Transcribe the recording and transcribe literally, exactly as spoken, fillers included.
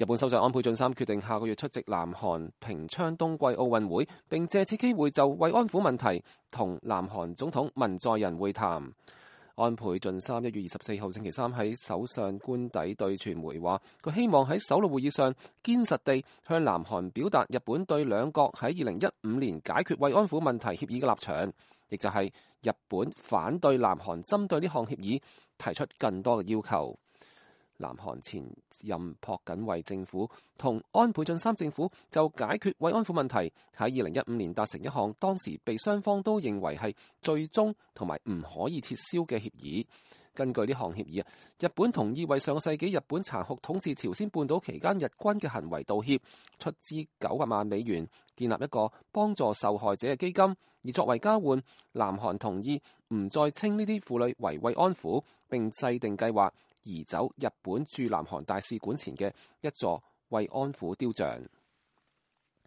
日本首相安倍晉三決定下個月出席南韓平昌冬季奧運會，並借此機會就慰安婦問題同南韓總統文在寅會談。安倍晉三一月二十四號星期三喺首相官邸對傳媒話，佢希望喺首腦會議上堅實地向南韓表達日本對兩國喺二零一五年解決慰安婦問題協議嘅立場，亦就係日本反對南韓針對呢項協議提出更多嘅要求。南韓前任朴槿惠政府同安倍晉三政府就解決慰安婦問題喺二零一五年達成一項當時被雙方都認為係最終同埋唔可以撤銷嘅協議。根據呢項協議啊，日本同意為上個世紀日本殘酷統治朝鮮半島期間日軍嘅行為道歉，出資九百萬美元建立一個幫助受害者嘅基金，而作為交換，南韓同意唔再稱呢啲婦女為慰安婦，並制定計劃移走日本駐南韓大使館前嘅一座慰安婦雕像。